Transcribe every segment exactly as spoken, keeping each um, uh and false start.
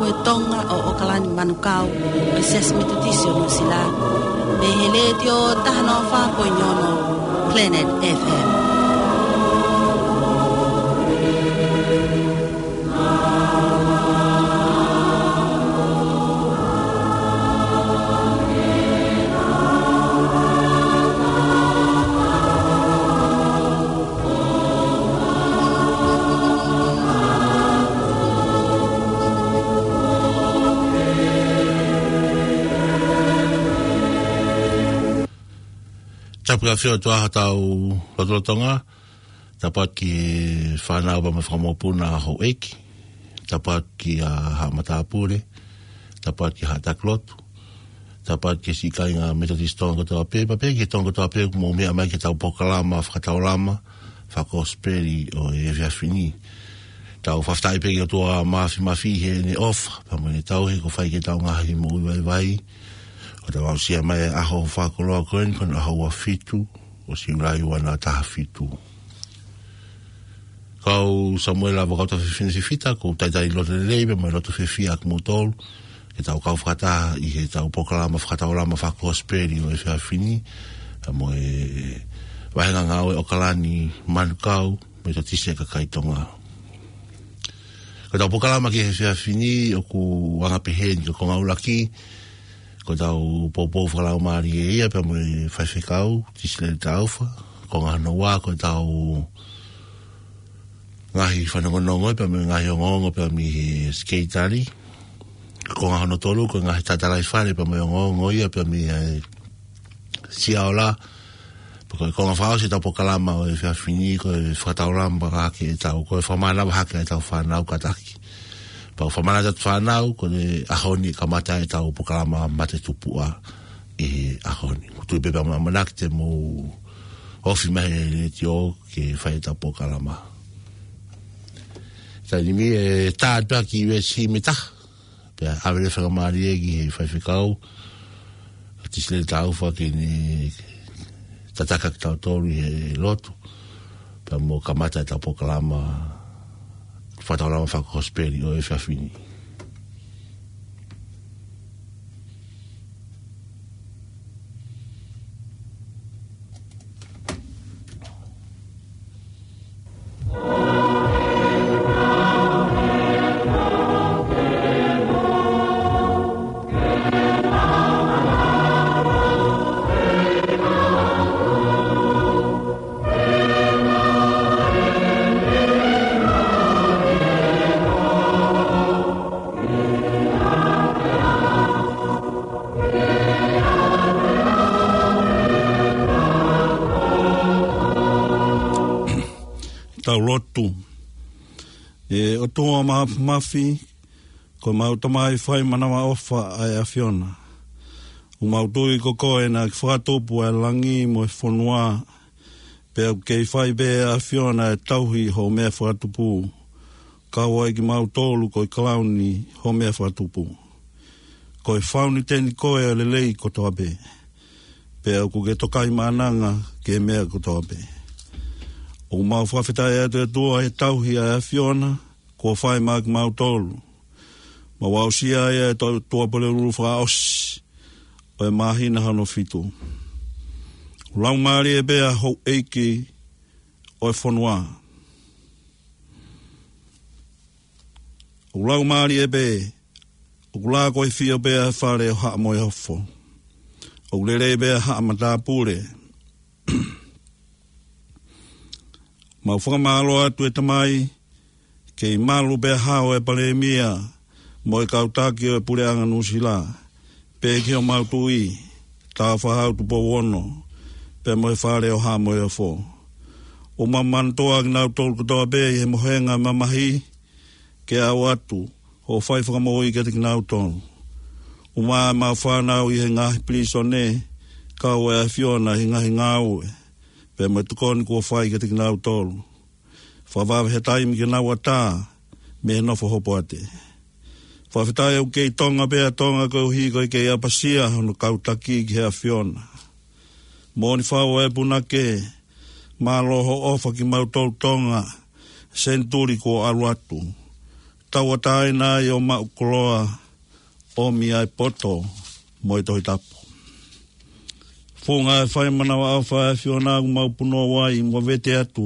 Ko e Tonga ʻo ʻOkalani Manukau, ʻa e Siasi Metotisi ʻo Nuʻusila, mei he Letiō taha noa fā poini ono Planet F M. Tapu ʻa e ʻAfiona ʻi hotau lotolotonga. Tapu atu ki he fānau pea mo e fanga mokopuna houʻeiki. Tapu atu ki he haʻa matāpule. Tapu atu ki he haʻa taki lotu. Tapu atu ki he siʻi kāinga Metotisi Tonga kotoa pē, pea pehē ki he Tonga kotoa pē, ʻoku mou meʻa mai ki heʻetau polokalama fakataulama fakakosipeli ʻo e efiafi ni. Tau fakafetaʻi pē ki he ʻOtua Māfimafi heʻene ʻofa, pea mo ʻene tauhi kuo fai ki heʻetau ngaahi moʻui vaivai. ʻO tau aʻusia mai e ʻaho fakakoloa ko eni, ko hono ʻaho ua fitu ʻo Siulai ua noa taha fitu. Ko au Samuela Vakautaufefine Fifita, ʻoku ou talitali loto lelei pea mo e loto fiefia ʻa kimoutolu ke tau kau fakataha ʻi heʻetau polokalama fakataulama fakakosipeli ʻo e efiafi ni, pea mo e Vahenga Ngāue ʻOkalani Manukau Metotisi ʻa e Kakai Tonga. Ko ʻetau polokalama ki he efiafi ni ʻoku anga pehē ni. Ko e konga ʻuluaki, ko ʻetau poupou fakalaumālie ia pea mo e faifekau Tisileli Taufa. Konga hono ua, ko ʻetau ngaahi fanongonongo pea mo e ngaahi ongoongo pea mei he Sekelitali. Konga hono tolu, ko e ngaahi tatalaifale pea mo e ongoongo ia pea mei he Siaola. Pea ko e konga fakaʻosi ʻetau polokalama ʻo e efiafi ni, ko e fakataulama hake ʻetau, ko e fakamānava hake ʻetau fānau kātaki. Pea ʻoku fakamānava ʻetau fānau, ko e ʻaho ni kamata ʻetau polokalama mate tupuʻa ʻi he ʻaho ni. ʻOku ou tui pē pea mo e ʻamanaki te mou ofi mai he letiō ke fai ʻetau polokalama. Taimi ni ʻe tā atu pē ki he veesi mita. Pea ʻave leva e faingamālie ki he faifekau, Tisileli Taufa, ke ne tataki kitautolu ʻi he lotu. Pea mo kamata ʻetau polokalama fakataulama fakakosipeli ʻo e efiafi ni. Tau lotu. ʻE ʻOtua Māfimafi, ko ʻemau Tamai fai manavaʻofa ʻa e ʻAfiona. ʻOku mau tui ko koe naʻa ke fakatupu ʻa e langi mo e fonua, pea ʻoku kei fai pē ʻe he ʻAfiona e tauhi hoʻo meʻa fakatupu. Kau ai kimautolu ko e kalauni hoʻo meʻa fakatupu. Ko e fauniteni koe ʻo e lelei kotoa pē. Pea ʻoku ke tokaimaʻananga ki he meʻa kotoa pē. ʻOku mau fakafetaʻi atu ʻe ʻOtua he tauhi ʻa e ʻAfiona kuo fai maʻa kimautolu. Mau aʻusia ai ʻa e tau tuʻapulelulu fakaʻosi ʻo e māhina hono fitu. ʻOku laumālie pē ʻa houʻeiki ʻo e fonua. ʻOku laumālie pē, ʻoku lākoifio pē ʻa e fale ʻo Haʻa Moheofo. ʻOku lelei pē ʻa Haʻa Matāpule. Mau fakamālō atu ʻe Tamai, kei malu pē ʻa e hao ʻo e Palēmia mo e kau taki ʻo e Puleʻanga Nuʻusila, pea ki homau Tuʻi, Tāufaʻāhau Tupou Ono, pea mo e fale ʻo Haʻa Moheofo. ʻOku mau manatuʻa kinautolu kotoa pē ʻi he mohenga mamahi, ke aʻu atu hoʻo fai fakamoʻui kiate kinautolu. ʻOmai ʻemau fānau ʻi he ngaahi pilīsone, kau e ʻAfiona ʻi he ngaahi ngāue, pea mo e tokoni kuo fai kiate kinautolu. Fakavave he taimi ke nau ʻatā mei he nofo hopoate. Fakafetaʻi ʻoku kei Tonga pē ʻa Tonga koeʻuhi ko e kei ʻapasia hono kau taki ki he ʻAfiona. Moʻoni fau ʻa e punake, mālō hoʻo ʻofa kimautolu Tonga, senituli kuo ʻalu atu. Tauʻatāina ʻi hoʻo maʻu koloa, ʻomi ʻa e poto mo e Tohi Tapu. Funga e fai manavaʻofa ʻa e ʻAfiona ʻoku mau punou ai mo vete atu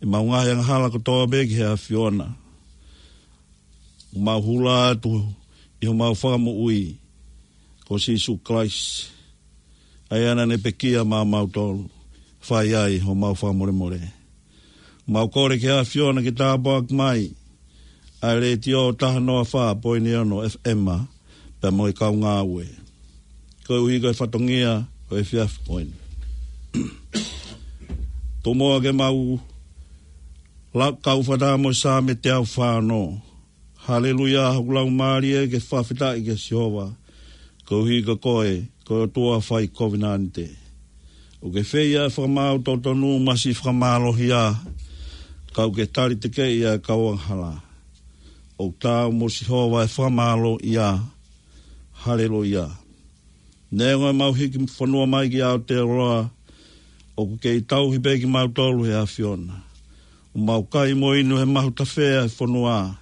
ʻemau ngaahi angahala kotoa pē ki he ʻAfiona. ʻOku mau hula atu ʻi homau Fakamoʻui ko Sīsū Kalaisi, ʻa ia naʻa ne pekia maʻamautolu, fai ai homau fakamolemole. Mau kole ki he ʻAfiona ke tāpuaki mai ʻa e Letiō taha noa fā poini ono F M pea mo e kau ngāue, koeʻuhi ko e fatongia ʻo e efiafi ko eni. Tomuʻa ke mau lau kau fakataha mo e Saame teau fā ono. Haleluia, hoku laumālie ke fakafetaʻi kia Sihova, koeʻuhi ko koe ko e ʻOtua fai kovinānite. ʻOku ke fai ʻa e fakamaau totonu mo e siʻi fakamālohi, ka ʻoku ke tali tekeʻi ʻa e kau angahala. ʻOku taau mo Sihova e fakamālō ia. Haleluia. Neongo ʻemau hiki fonua mai ki Aotearoa, ʻoku kei tauhi pē kimautolu ʻe he ʻAfiona. ʻOku mau kai mo inu he mahu tafe ʻa e fonua,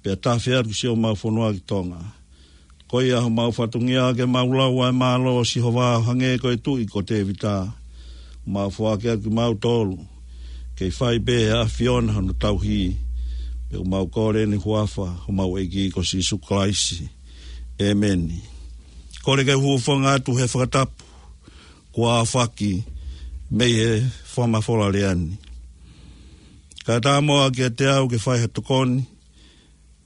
pea tafe atu siʻomau fonua ki Tonga. Ko ia homau fatongia ke mau lau ʻa e mālō ʻo Sihova ʻo hangē ko e Tuʻi ko Tēvita. ʻOku mau foaki atu kimautolu, kei fai pē ʻe he ʻAfiona hono tauhi. Pea ʻoku mau kole ni huafa homau ʻEiki ko Sīsū Kalaisi. ʻĒmeni. Kole ke u hūfanga atu he fakatapu kuo aofaki mei he fakamafola lea ni. Kae ʻatā muʻa kiate au ke fai ha tokoni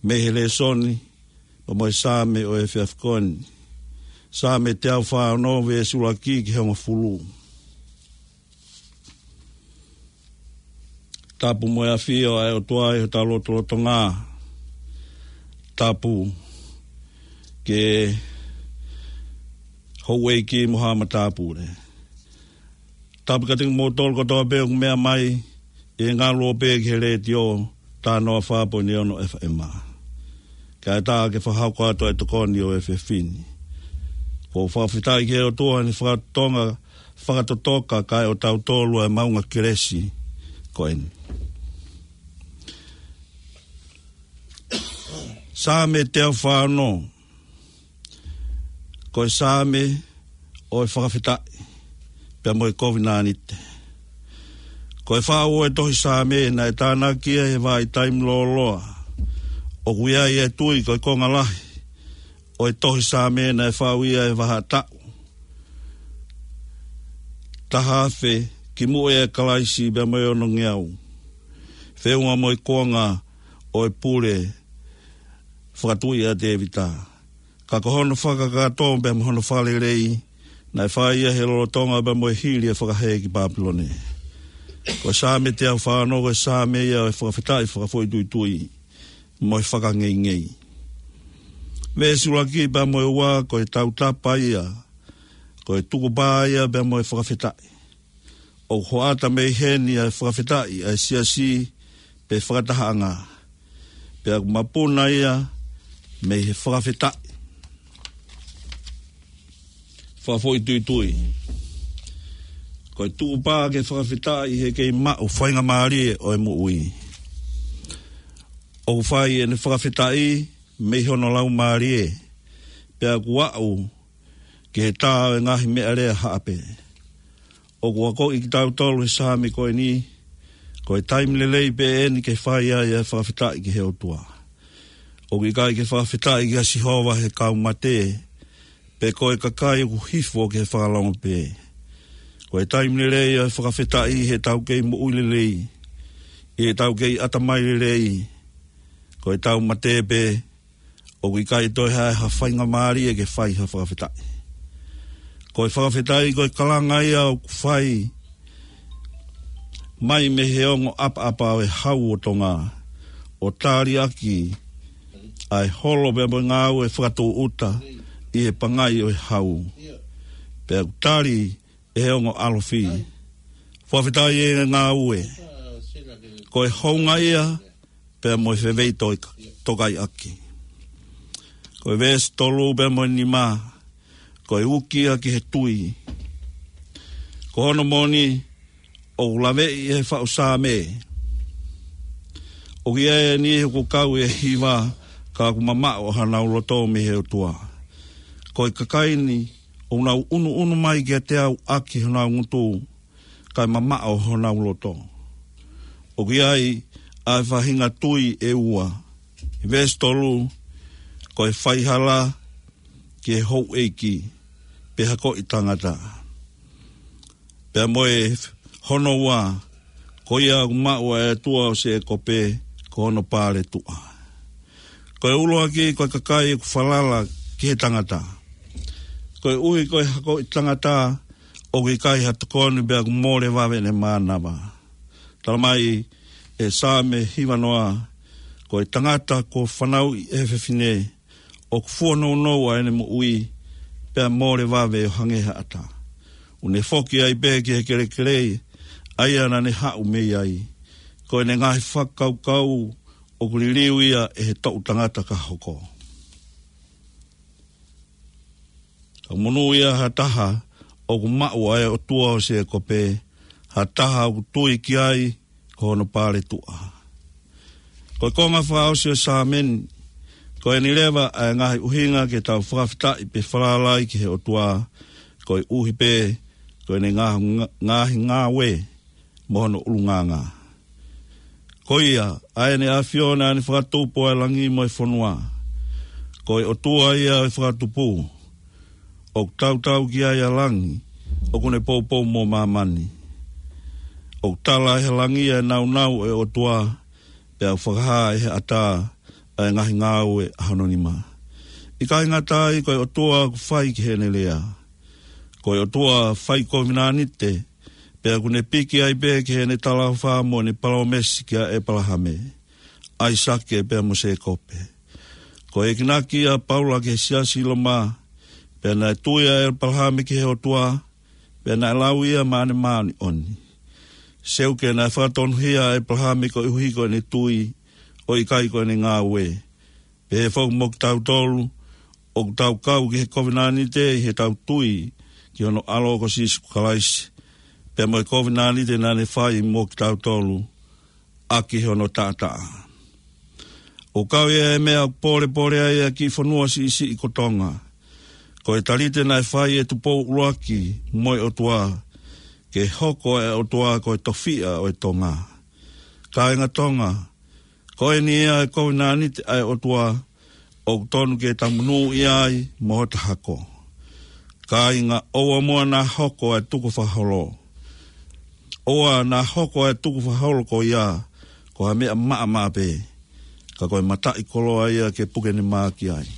mei he lēsoni pea mo e Saame ʻo e efiafi ko eni. Saame teau fā ono, veesi ʻuluaki ki he hongofulu. Tapu mo e ʻafio ʻa e ʻOtua ʻi hotau lotolotonga. Tapu ki he houʻeiki mo haʻa matāpule. Tapu kiate kimoutolu kotoa pē ʻoku meʻa mai ʻi he ngaluope ki he Letiō taha noa fā poini ono F M. Kae ʻatā ke fakahoko atu ʻa e tokoni ʻo e efiafi ni. ʻOku ou fakafetaʻi ki he ʻOtua ʻi heʻene fakatonga, fakatotoka kae ʻoatu kiate kitautolu ʻa e maʻunga kelesi ko eni. Saame teau fā ono, ko e saame ʻo e fakafetaʻi pea mo e kovinānite. Ko e faʻu ʻo e tohi Saame naʻe tānaki ia he vahaʻa taimi lōloa. ʻOku ʻi ai e tui ko e konga lahi ʻo e tohi Saame naʻe faʻu ia he vahaʻa taʻu taha afe kimuʻa ʻia Kalaisi pea mo e onongeau, feʻunga mo e kuonga ʻo e pule fakatuʻi ʻa Tēvita. Ka ko hono fakakakato pea mo hono fakalelei naʻe fai ia he lolotonga pea mo e hili e fakahē ki Pāpilone. Ko e Saame teau fā ono ko e saame ia ʻo e fakafetaʻi fakafoʻituitui mo e fakangeingei. Veesi ʻuluaki pea mo e ua ko e tautapa ia, ko e tukupā ia pea mo e fakafetaʻi. ʻOku hoʻata mei heni ʻa e fakafetaʻi ʻa e siasi pe fakatahaʻanga. Pea ʻoku mapuna ia mei he fakafetaʻi fakafoʻituitui. Ko e tukupā ke fakafetaʻi he kei maʻu faingamālie ʻo e moʻui. ʻOku fai ʻene fakafetaʻi mei hono laumālie, pea ʻoku aʻu ki he tā ʻo e ngaahi meʻalea haʻape. ʻOku akoʻi kitautolu he saame ko eni, ko e taimi lelei pē eni ke fai ai ʻa e fakafetaʻi ki he ʻOtua. ʻOku ʻikai ke fakafetaʻi kia Sihova he kau mate, pe ko e kakai ʻoku hifo ki he fakalongo pē. Ko e taimi lelei ʻo e fakafetaʻi heʻetau kei moʻui lelei, ʻi heʻetau kei ʻatamai lelei. Ko ʻetau mate pē, ʻoku ʻikai toe ʻi ai ha faingamālie ke fai ha fakafetaʻi. Ko e fakafetaʻi ko e kalanga ia ʻoku fai mai mei he ongo ʻapaʻapa ʻo e hau ʻo Tonga, ʻo tali ʻaki ʻa e holo pea mo e ngāue fakatūʻuta ʻi he pangai ʻo e hau. Pea ʻoku tali ʻe he ongo ʻalofi. Fakafetaʻi ʻa e ngāue. Ko e hounga ia pea mo e fefeitoka-, tokaiʻaki. Ko e veesi tolu pea mo e nima, ko e uki ia ki he tui. Ko hono moʻoni, ʻoku laveʻi ʻe he faʻu saame, ʻOku ʻi ai e niʻihi ʻoku kau ʻi he hiva, ka ʻoku mamaʻo honau loto mei he ʻOtua. Ko e kakai ni ʻoku nau ʻunuʻunu mai kiate au ʻaki honau ngutu, kae mamaʻo honau loto. ʻOku ʻi ai ʻa e faʻahinga tui ʻe ua. Veesi tolu, ko e faihala ki he houʻeiki, pe hakoʻi tangata. Pea mo e hono ua, ko ia ʻoku maʻu ʻa e ʻOtua ʻo Sēkope, ko hono paletuʻa. Ko e ʻuluaki, ko e kakai ʻoku falala ki he tangata. Koeʻuhi ko e hakoʻi tangata, ʻoku ʻikai ha tokoni pea ʻoku mole vave ʻene mānava. Tala mai ʻe Saame hiva noa, ko e tangata kuo fanauʻi ʻe he fefine, ʻoku fua nounou ʻa ʻene moʻui, pea mole vave ʻo hangē ha ʻata. ʻOku ne foki ai pē ki he kelekele, ʻa ia naʻa ne haʻu mei ai. Ko ʻene ngaahi fakakaukau, ʻoku liliu ia ʻe he toʻu tangata ka hoko. Ka monūʻia ha taha ʻoku maʻu ʻa e ʻOtua ʻo Sēkope, ha taha ʻoku tui ki ai ko hono paletuʻa. Ko e konga fakaʻosi ʻo e Saame ni, ko eni leva ʻa e ngaahi ʻuhinga ke tau fakafetaʻi pe falala ai ki he ʻOtua, koeʻuhi pē ko ʻene ngā-, ngā-, ngaahi ngāue mo hono ʻulungaanga. Ko ia, ʻa ʻEne ʻAfio naʻa ne fakatupu ʻa e langi mo e fonua. Ko e ʻOtua ia ʻo e fakatupu. ʻOku tautau ki ai ʻa langi, ʻoku ne poupou mo māmani. ʻOku tala ʻe he langi ʻa e nāunau ʻo e ʻOtua, pea ʻoku fakahā ʻe he ʻatā ʻa e ngaahi ngāue ʻa hono nima. ʻIkai ngata ai, ko e ʻOtua ʻoku fai ki heʻene lea. Ko e ʻOtua fai kovinānite, pea ʻoku ne piki ai pē ki heʻene talaʻofa mo ʻene palōmesi kia ʻĒpalahame, ʻAisake pea mo Sēkope. Ko e enginaki ʻa Paula ki he siasi Loma, pea naʻe tui ʻa ʻĒpalahame ki he ʻOtua, pea naʻe lau ia maʻane māʻoniʻoni. Seuke naʻe fakatonuhia ʻa ʻĒpalahame koeʻuhi ko ʻene tui, ʻo ʻikai ko ʻene ngāue. Pehē foki mo kitautolu, ʻoku tau kau ki he kovinānite ʻi heʻetau tui ki hono ʻAlo ko Sīsū Kalaisi, pea mo e kovinānite naʻa ne fai mo kitautolu, ʻaki hono taʻataʻa. ʻOku kau ia he meʻa ʻoku pōlepole ai ʻa e kiʻi fonua siʻisiʻi ko Tonga. Ko e talite naʻe fai ʻe Tupou ʻUluaki mo e ʻOtua, ke hoko ʻa e ʻOtua ko e tofiʻa ʻo e Tonga. Kāinga Tonga, ko eni ia e kovinānite ʻa e ʻOtua, ʻoku tonu ke tau monūʻia ai mo hota hako. Kāinga, ʻoua muʻa naʻa hoko ʻa e tukufakaholo. ʻOua naʻa hoko ʻa e tukufakaholo ko ia ko ha meʻa maʻamaʻa pē, ka ko e mataʻikoloa ia ke puke ne mā ki ai.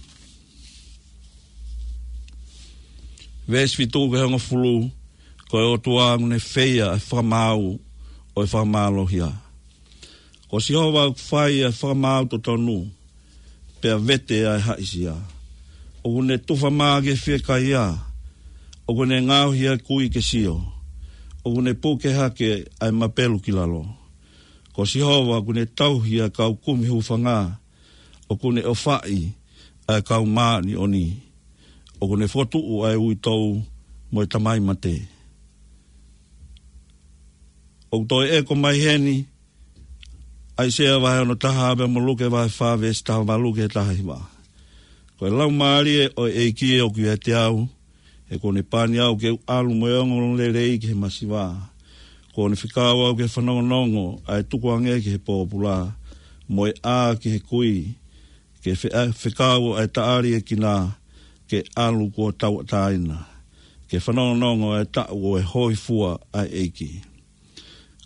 Veesi fitu ki he hongofulu, ko e ʻOtua ʻoku ne feia ʻa e fakamaau ʻo e fakamālohia. Ko Sihova ʻoku fai ʻa e fakamaau totonu, pea vete ʻa e haʻisia. ʻOku ne tufa mā ki he fiekaia, ʻoku ne ngaohi ʻa e kui ke sio, ʻoku ne puke hake ʻa e mapelu ki lalo. Ko Sihova ʻoku ne tauhi ʻa e kau kumi hūfanga, ʻoku ne ʻofaʻi ʻa e kau māʻoniʻoni, ʻoku ne fokotuʻu ʻa e uitou mo e tamai mate. ʻOku toe ʻeko mai heni, ʻAisea vahe ono taha pea mo Luke vahe fā veesi taha valu ki he taha hiva. Ko e Laumālie ʻo e ʻEiki ʻoku ʻiate au, he kuo ne pani au ke u ʻalu mo e ongoongolelei ki he masiva. Kuo ne fekau au ke fanongonongo ʻa e tukuange ki he pōpula, mo e ʻā ki he kui, ke fe-, fekau ʻa e taʻaliʻekina, ke ʻalu kuo tauʻatāina, ke fanongonongo ʻa e taʻu ʻo e hōifua ʻa e ʻEiki.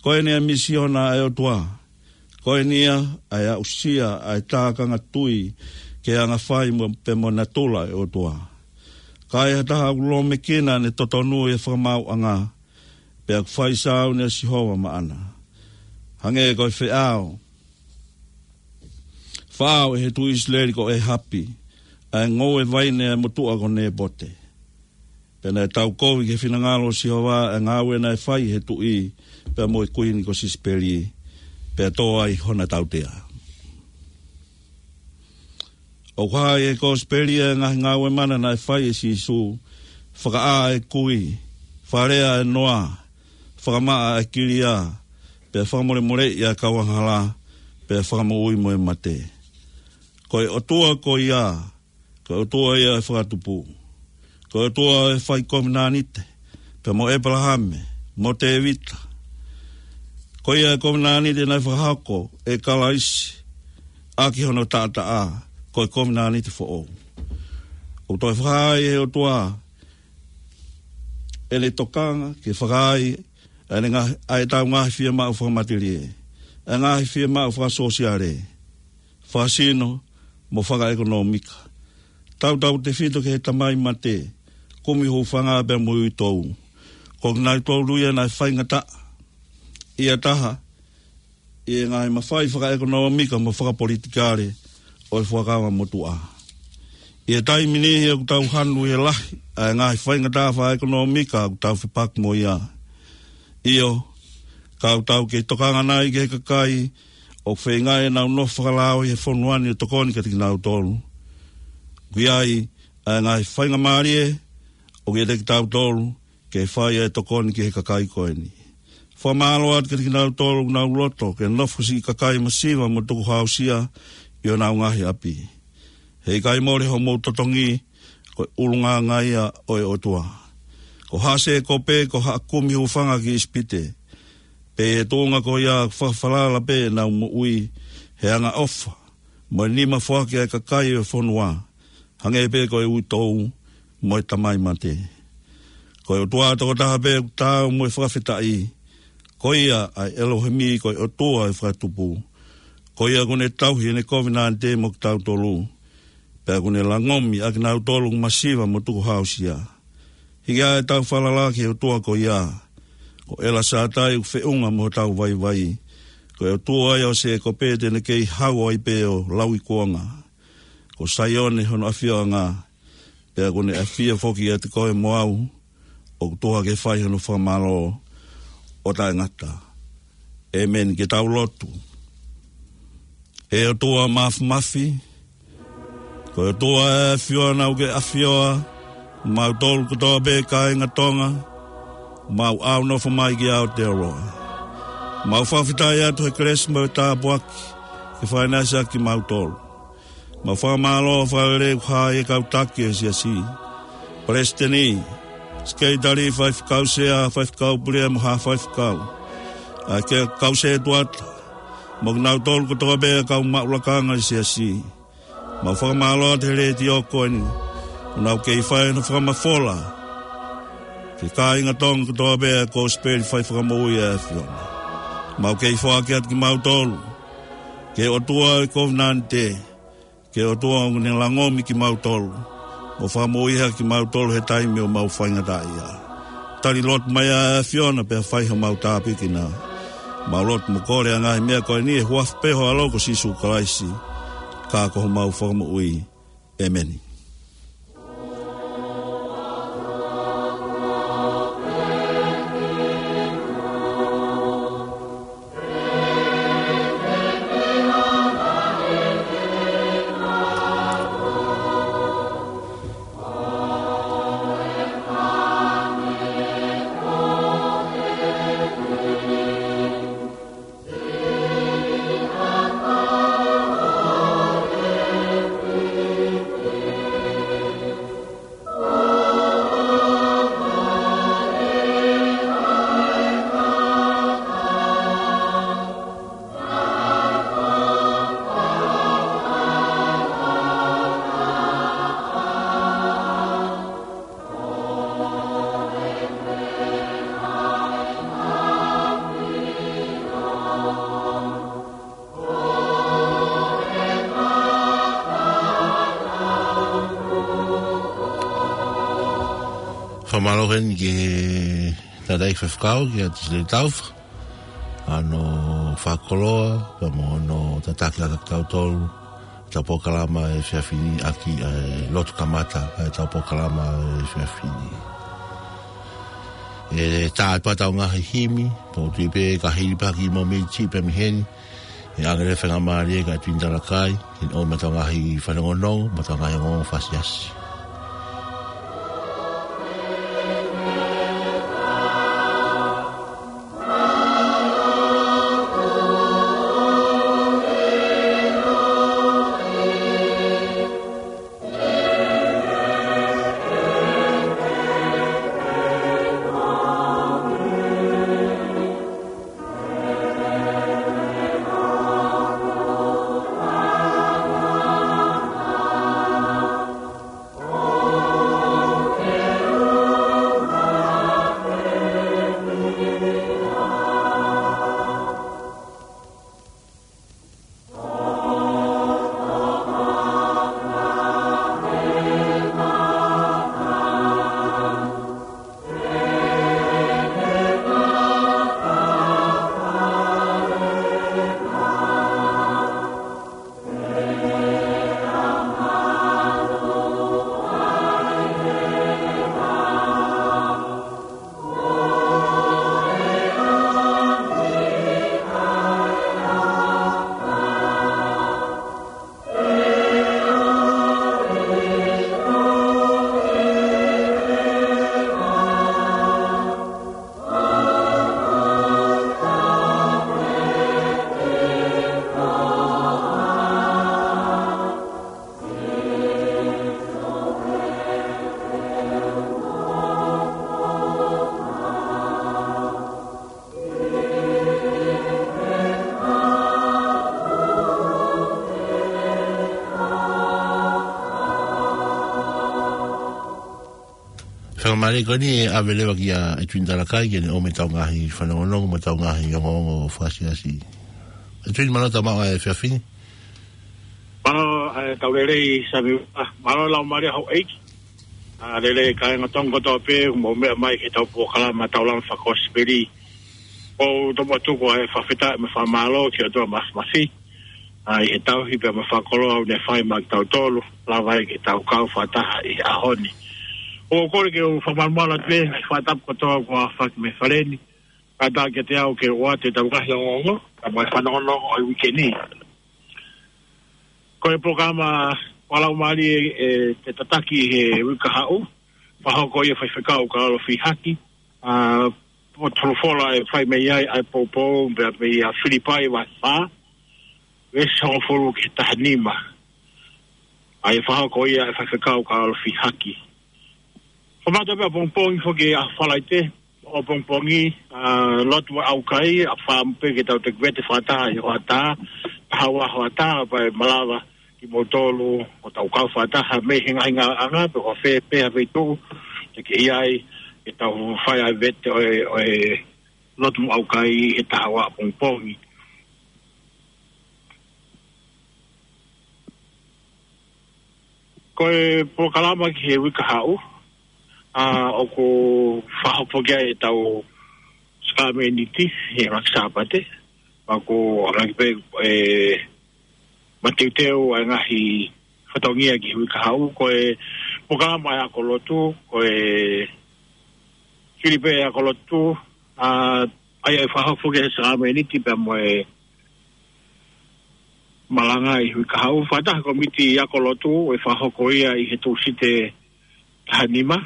Ko eni ʻa e misiona ʻa e ʻOtua. Ko eni ia ʻa e aʻusia ʻa e tākanga tui ki he anga fai mo, pea mo e natula ʻa e ʻOtua. Ka ai ha taha ʻoku lōmekina ʻene totonu ʻi he fakamaauʻanga, pea ʻoku fai sāuni ʻa Sihova maʻana. Hangē ko e feʻao, feʻao ʻe he tuʻi ʻIsileli ko ʻĒhapi, ʻa e ngoue vaine ʻa e motuʻa ko Nēpote. Pea naʻe taukovi ki he finangalo ʻo Sihova ʻa e ngāue naʻe fai ʻe he tuʻi, pea mo e kuini ko Sisipeli, pea tō ai hona tautea. ʻOku hā ʻi he Kosipeli ʻa e ngaahi ngāue mana naʻe fai ʻe Sīsū, fakaʻā ʻa e kui, fakalea ʻa e noa, fakamaʻa ʻa e kilia, pea fakamolemoleʻi ʻa e kau angahala, pea fakamoʻui mo e mate. Ko e ʻOtua ko ia, ko e ʻOtua ia ʻo e fakatupu. Ko e ʻOtua ʻo e fai kovinānite, pea mo ʻĒpalahame, mo Tēvita. Ko ia e kovinānite naʻe fakahoko ʻe Kalaisi ʻaki hono taʻataʻa, ko e kovinānite foʻou. ʻOku toe fakahā ʻe he ʻOtua ʻene tokanga ke fakaai ʻa ʻene ngaahi, ʻa ʻetau ngaahi fiemaʻu fakamatelie, ʻa e ngaahi fiemaʻu fakasōsiale, fakasino, mo fakaʻekonōmika. Tautautefito ki he tamai mate, kumi hūfanga pea mo e uitou. Ko kinautolu ia naʻe faingataʻa ʻi ha taha ʻi he ngaahi mafai fakaʻekonōmika mo fakapolitikale ʻo e Fuakava Motuʻa. ʻI he taimi ni ʻoku tau hanu ʻi he lahi ʻa e ngaahi faingataʻa fakaʻekonōmika ʻoku tau fepaki mo ia. ʻIo, ka ʻoku tau kei tokanga nai ki he kakai ʻoku feinga ʻenau nofo fakalao ʻi he fonua ni ʻo tokoni kiate kinautolu. ʻOku ʻi ai ʻa e ngaahi faingamālie ʻoku ʻiate kitautolu ke fai ʻa e tokoni ki he kakai ko eni. Fakamālō atu kiate kinautolu ʻoku nau loto ke nofo siʻi kakai masiva mo tukuhāusia ʻi honau ngaahi ʻapi. He ʻikai mole hoʻomou totongi, ko e ʻulungaanga ia ʻo e ʻOtua. Ko Hāsēkope ko ha kumi hūfanga ki ʻIsipite, pea ʻi he tuʻunga ko ia fakafalala pē ʻenau moʻui he angaʻofa mo e nima foaki ʻa e kakai ʻo e fonua, hangē pē ko e uitou mo e tamai mate. Ko e ʻOtua tokotaha pē ʻoku taau mo e fakafetaʻi, ko ia ʻa e ʻElohimi, ko e ʻOtua ʻo e fakatupu. Ko ia ʻoku ne tauhi ʻene kovinānite mo kitautolu, pea ʻoku ne langomi ʻa kinautolu ʻoku masiva mo tukuhāusia. Hiki ā ʻetau falala ki he ʻOtua ko ia. Ko ʻElasātai ʻoku feʻunga mo hotau vaivai. Ko e ʻOtua ia ʻo Sēkope te ne kei hau ai pē ʻo lauikuonga. Ko Saione hono ʻafioʻanga, pea ʻoku ne ʻafio foki ʻiate koe mo au, ʻoku tuha ke fai hono fakamālō ʻo taʻengata. ʻĒmeni. Ke tau lotu. ʻE ʻOtua Māfimafi, ko e ʻOtua ʻa e ʻAfiona ʻoku ke ʻafioʻi kimautolu kotoa pē kāinga Tonga, mau ʻaunofo mai ki Aotearoa. Mau fakafetaʻi atu he kelesi mo e tāpuaki ke fakaʻinasi ʻaki kimautolu. Mau fakamālō fakalelei ʻoku hā ʻi he kau taki ʻo e siasi, palesiteni, sekelitali, faifekau sea, faifekau pule mo ha faifekau, ʻa e kau sētuata, mo kinautolu kotoa pē ʻa e kau maʻu lakanga ʻi he siasi. Mau fakamālō atu he letiō ko eni, ʻoku nau kei fai hono fakamafola ki he kāinga Tonga kotoa pē ʻa e kosipeli fai fakamoʻui ʻa e ʻAfiona. Mau kei foaki atu kimautolu ki he ʻOtua ʻo e kovinānite, ki he ʻOtua ʻoku ne langomi kimautolu mo fakamoʻui hake kimautolu he taimi ʻoku mau faingataʻaʻia. Tali lotu mai ʻa e ʻAfiona pea fai homau tāpuekina. Mau lotu mo kole ʻa e ngaahi meʻa ko eni ʻi he huafa pē ho ʻAlo ko Sīsū Kalaisi, ka ko homau Fakamoʻui. ʻĒmeni. Fakamālō heni ki he tangataʻeiki faifekau, kia Tisilei Taufa, hono fakakoloa, pea mo hono tataki ʻaki kitautolu ʻetau polokalama he efiafi ni, ʻaki ʻa e lotu kamata ʻetau polokalama he efiafi ni. ʻE tā atu pē ʻetau ngaahi himi, pea ʻoku ou tui pē ka hili pē ha kiʻi momeniti pē mei heni, ʻe ʻange leva e faingamālie kia Tuini Talakai ke ne ʻomai ʻetau ngaahi fanongonongo mo ʻetau ngaahi ongoongo fakasiasi. Pea mālie ko eni ʻe ʻave leva kia ʻEtuini Talakai ke ne ʻomai ʻetau ngaahi fanongonongo mo ʻetau ngaahi ongoongo fakaʻosi. ʻEtuini, mālō e tau maʻu ʻa e efiafi ni. Mālō, ʻa e, tau lelei Sami, ʻa, mālō e laumālie houʻeiki. ʻA, lelei kāinga Tonga kotoa pē, mou meʻa mai ki heʻetau polokalama Taulama Fakakosipeli. ʻOku ou tomuʻa tuku ʻa e fakafetaʻi mo e fakamālō ki he ʻOtua Māfimafi. ʻA, ʻi he tauhi pea mo e fakakoloa ʻoku ne fai maʻa kitautolu, lava ai ke tau kau fakataha ʻi he ʻaho ni. ʻOku ou kole ke u fakamalumalu atu pē, ngaahi fakatapu kotoa kuo aofaki mei he fale ni. Kātaki kiate au ke u ʻoatu ʻetau ngaahi ongoongo, pea mo e fanongonongo ʻo e uike ni. Ko e polokalama fakalaumālie ʻe te tataki he uike kahaʻu, fakahoko ia ʻe Faifekau Kaolo Fihaki, ʻa, ʻoku tolu fola ʻe fai mei ai ʻa e poupou, pea mei a Filipai vahe fā, veesi hongofulu ki he taha nima. ʻA ia ʻe fakahoko ia ʻe Faifekau Kaolo Fihaki. Kamata pē ʻapongipongi foki ʻa Falaite, ʻapongipongi, ʻa, lotu mo e ʻaukai, ʻa, fakaʻamu pē ke tau toki vete fakataha ʻi he hoʻatā, taha ua hoʻatā, pea ʻe malava kimoutolu ʻo tau kau fakataha mei he ngaahi ngāueʻanga, pe ko fē pē ha feituʻu te ke ʻi ai, ke tau fai ʻa e vete ʻo e, ʻo e lotu mo e ʻaukai he taha ua ʻapongipongi. Ko e polokalama ki he uike kahaʻu, ʻa, ʻoku fakahoko ki ai ʻetau sākalamēniti he ngaahi Sāpate, pea ʻoku ʻamanaki pē ʻe mateuteu ʻa e ngaahi fatongia ki he uike kahaʻu. Ko e polokalama ʻa e ako lotu, ko e fili pē ʻa e ako lotu, ʻa, ʻa ia ʻe fakahoko ki he sākalamēniti pea mo e malanga ʻi he uike kahaʻu. Fakataha e kōmiti ako lotu ʻe fakahoko ia ʻi he Tūsite taha nima.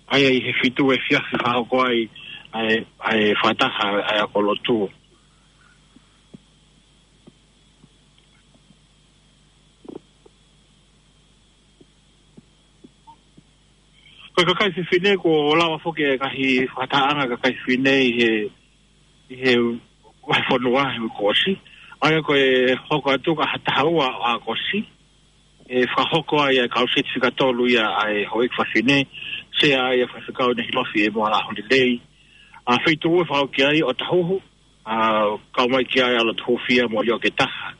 ʻA ia ʻi he fitu efiafi fakahoko ai ʻa e, ʻa e fakataha ʻa e ako lotu. Ko e kakai fefine, kuo lava foki e ngaahi fakatahaʻanga kakai fefine ʻi he, ʻi he vahefonua he kuo ʻosi. ʻA ia ko e hoko atu ki he taha ua ʻo ʻAokosi, ʻe fakahoko ai ʻa e kau setifikatolu ia ʻa e houʻeiki fafine, sea ai ʻa Faifekau Nehilofi ʻEmoala Holilei. ʻA, feituʻu ʻe fakahoko ki ai ʻOtahuhu, ʻa, kau mai ki ai ʻa Lotohufia mo ʻIoketaha.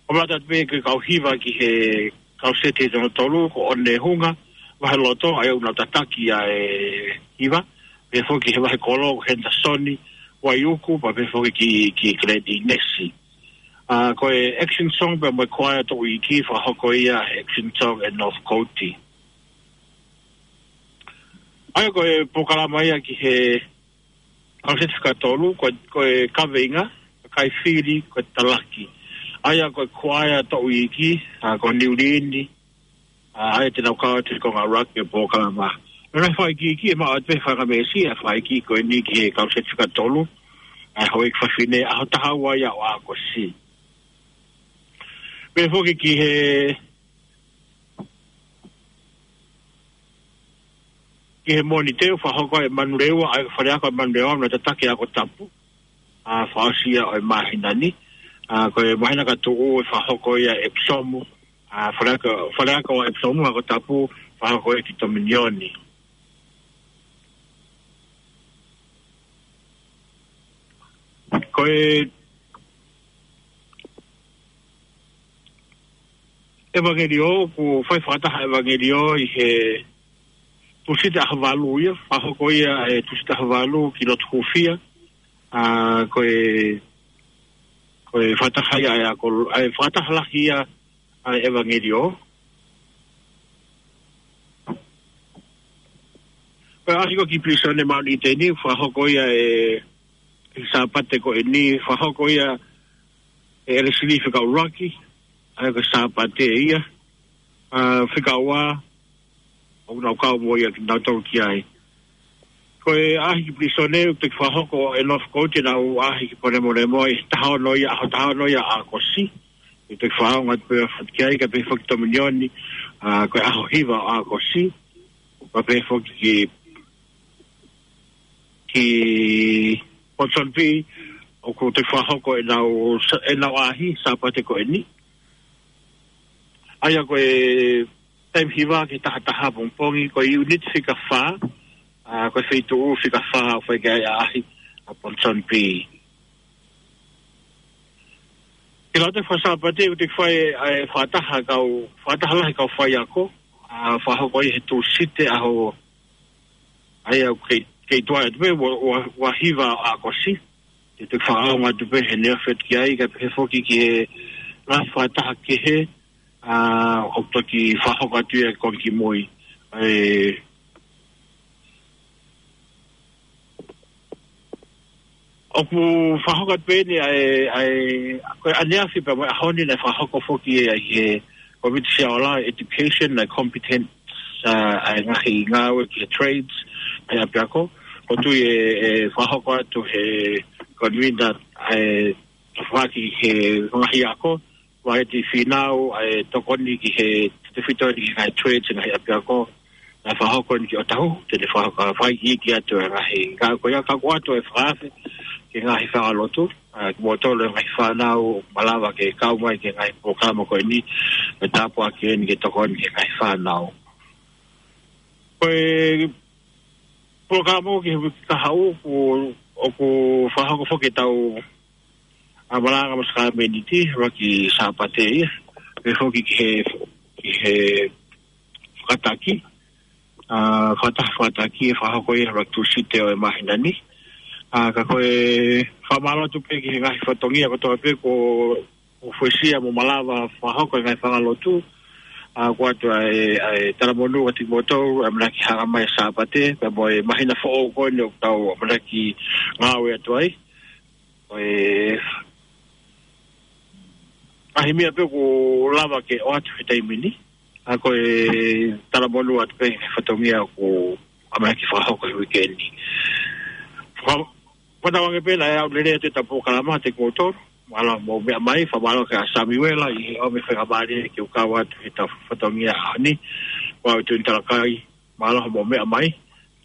ʻO lava atu pē ke kau hiva ki he kau seti hono tolu ko ʻOnehunga Vaheloto, ʻa ia ʻoku nau tataki ʻa e hiva, pehē foki he vahekolo ko Henderson Vaiuku, pea pehē foki ki, ki Glenn ʻInesi. ʻA, ko e action song pea mo e kuaea toʻu iiki fakahoko ia he action song ʻe North Coast. ʻA ia ko e polokalama ia ki he kau setifikatolu, ko, ko e kaveinga, kakai fili, ko e talaki. ʻA ia ko e kuaea toʻu iiki, ʻa, ko Niu Lini, ʻa, ʻa ia te nau kau atu ki he konga ʻuluaki ʻo e polokalama. Mo e ngaahi fakaikiiki ʻe maʻu atu pē he fanga meesi ʻa e fakaikiiki ko eni ki he kau setifikatolu, ʻa e houʻeiki fafine, ʻaho taha ua ia ʻo ʻAokosi. Pehē foki ki he ki he Mōnite ʻe fakahoko ʻe Manurewa, ʻa e faleako ʻo Manurewa, ʻoku nau tataki ʻa e Ako Tapu, ʻa, fakaʻosi ia ʻo e māhina ni. ʻA, ko e māhina ka tuʻu ʻe fakahoko ia ʻe Epsom, ʻa, faleako, faleako ʻo Epsom, Ako Tapu, fakahoko ia ki Tominioni. Ko e ʻevangeliō, ʻoku fai fakataha ʻevangeliō ʻi he Tūsite ʻaho valu ia, fakahoko ia he Tūsite ʻaho valu ki Lotohufia, ʻa, ko e, ko e fakataha ia ʻa e ako, ʻa e fakataha lahi ia ʻa e ʻevangeliō. Ko e ʻaho ko ē ki Pilīsone Mount Eden, fakahoko ia he, he Sāpate ko eni, fakahoko ia ʻe ʻElesili fika ʻuluaki, ʻa ia ko e Sāpate ia, ʻa, fika ua, ʻoku nau kau mo ia kinautolu ki ai. Ko e ʻaho ki Pilīsone, ʻoku toki fakahoko ʻe North Coast ʻenau ʻaho ki Ponemonemoa, ʻi he taha ono ia, ʻaho taha ono ia ʻo ʻAokosi. ʻOku toki fakaongo atu pē foki ki ai, kae pehē foki Tominioni, ʻa, ko e ʻaho hiva ʻo ʻAokosi. Kae pehē foki ki, ki Ponsonby, ʻoku toki fakahoko ʻenau sa-, ʻenau ʻaho Sāpate ko eni. ʻA ia ko e taimi hiva ki he taha taha pongipongi, ko e unit fika fā, ʻa, ko e feituʻu fika fā ʻoku fai ki ai ʻaʻahi ʻa Ponsonby. Ki he lau atu e Fakasaapate, ʻoku teʻeki fai ʻa e fakataha kau, fakataha lahi kau faiako, ʻa, fakahoko ia he Tūsite ʻaho, ʻa ia ʻoku kei, kei tuai atu pē, ua, ua, ua hiva ʻa ʻAokosi. Te u toki fakaʻaonga atu pē he neongo ʻoku ʻikai ke pehē foki ki he ngaahi fakataha kehe, ʻa, ʻoku toki fakahoko atu ia he konga kimui. ʻE, ʻoku fakahoko atu pē eni ʻa e, ʻa e, ko e ʻaneafi pea mo e ʻaho ni naʻe fakahoko foki ʻe he Komiti Siaola Education, naʻe competence, ʻa, ʻa e ngaahi ngāue ki he trades, ʻa e ʻapiako. ʻOku ou tui ʻe, ʻe fakahoko atu he convener, ʻa e, fakahoko he ngaahi ako, ʻa e te fīnau, ʻa e tokoni ki he, te fito ni ki he ngaahi trades, ngaahi ʻapiako, naʻe fakahoko eni ki ʻŌtāhuhu, te ne fakahoko, fakaikiiki atu e ngaahi, ka ko ia ka ko atu e fakaafe, ki he ngaahi fanga lotu, ʻa, kimoutolu e ngaahi fānau, malava ke kau mai ki he ngaahi polokalama ko eni, ʻe tāpuaki eni ke tokoni ki he ngaahi fānau. Ko e polokalama ki he uike kahaʻu, ʻoku, ʻoku fakahoko foki ʻetau ʻa, malanga mo e sākalamēniti, ʻuluaki Sāpate ia. Pea foki ki he, ki he fakataki. ʻA, fakataha fakataki ʻe fakahoko ia ʻuluaki Tūsite ʻo e māhina ni. ʻA, ka ko e fakamālō atu pē ki he ngaahi fatongia kotoa pē kuo, kuo fuesia mo malava fakahoko e ngaahi fanga lotu. ʻA, ko atu ʻa e, ʻa e talamonū atu kimoutolu, ʻa e ʻamanaki hanga mai Sāpate, pea mo e māhina foʻou ko eni ʻoku tau ʻamanaki ngāue atu ai. Ko e ngaahi meʻa pē ʻoku lava ke ʻoatu he taimi ni. ʻA, ko e talamonū atu pē he fatongia ʻoku ʻamanaki fakahoko he uike ni. Fa-, fanongo ange pē naʻe ʻaulelei atu ʻetau polokalama kiate kimoutolu. Mālō hoʻomou meʻa mai, fakamālō kia Samiuela ʻi he ʻomi faingamālie ke u kau atu heʻetau fatongia ʻaho ni. Ko au Tuini Talakai, mālō hoʻomou meʻa mai,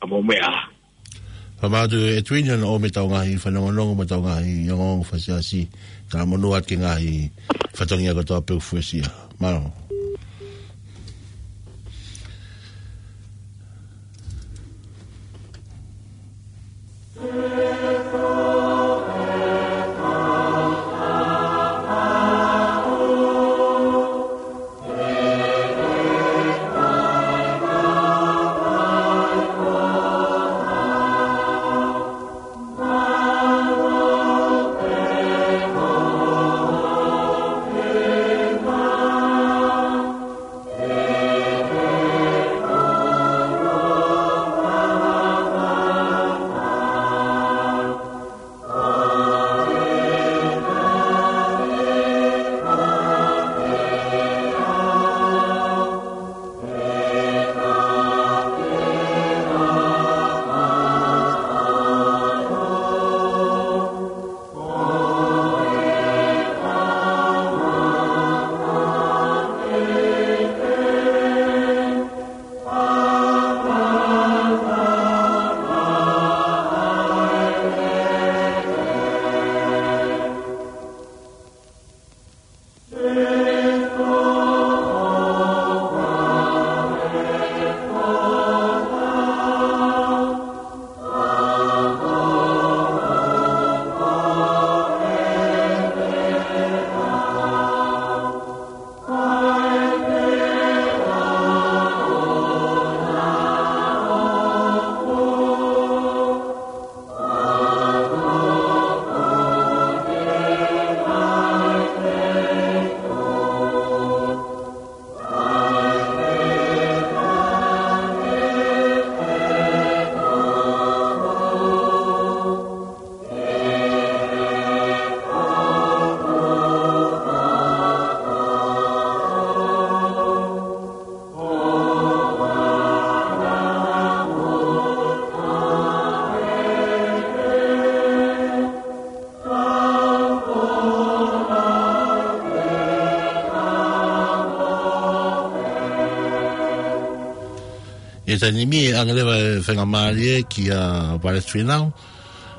ka mou meʻa ā. Fakamālō atu ʻe Tuini hono ʻomi ʻetau ngaahi fanongonongo mo ʻetau ngaahi ongoongo fakaʻosi. Talamonū atu ki he ngaahi fatongia kotoa pē ʻoku fuesia. Mālō. ʻI he taimi ni ʻe ʻange leva e faingamālie kia Palesiteni Fīnau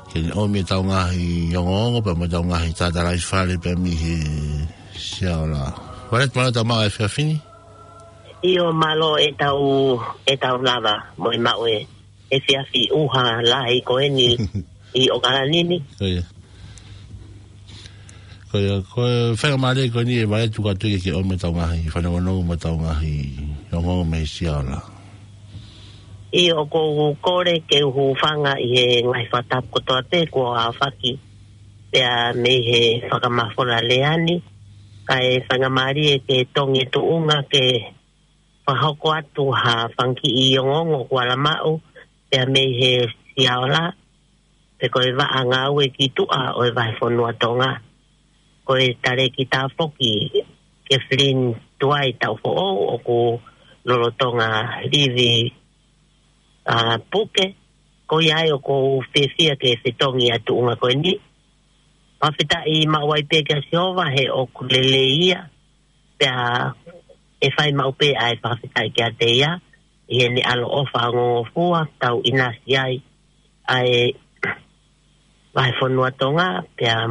ke ne ʻomi ʻetau ngaahi ongoongo pea mo ʻetau ngaahi tātālaifale pea mei he Siaola. Palesiteni, mālō e tau maʻu e efiafi ni. ʻIo, mālō e tau, e tau lava mo e maʻu e, e fiafi ʻuha lahi ko eni ʻi ʻOkalani ni. Ko ia. Ko ia, ko e faingamālie ko eni e vaetu kātoa ke ke ʻomi ʻetau ngaahi fanongonongo mo ʻetau ngaahi ongoongo mei Siaola. ʻIo, ʻoku ou kole ke u hūfanga ʻi he ngaahi fakatapu kotoa pē kuo aofaki pea mei he fakamafola lea ni, kae faingamālie ke tongi e tuʻunga ke fakahoko atu ha fanga kiʻi ongoongo kuo ala maʻu pea mei he Siaola, pe ko e vaʻa ngāue ki tuʻa ʻo e vahefonua Tonga. Ko e talēkita foki Kathleen Tuai Taufoʻou ʻoku lolotonga livi, ʻa, puke, ko ia ai ʻoku ou fiefia ke fetongi ʻa e tuʻunga ko eni. Fakafetaʻi maʻu ai pē kia Sihova he ʻoku lelei ia, pea ʻe fai maʻu pē ʻa e fakafetaʻi kiate ia, ʻi heʻene ʻaloʻofa ongongofua, tau ʻinasi ai ʻa e vahefonua Tonga, pea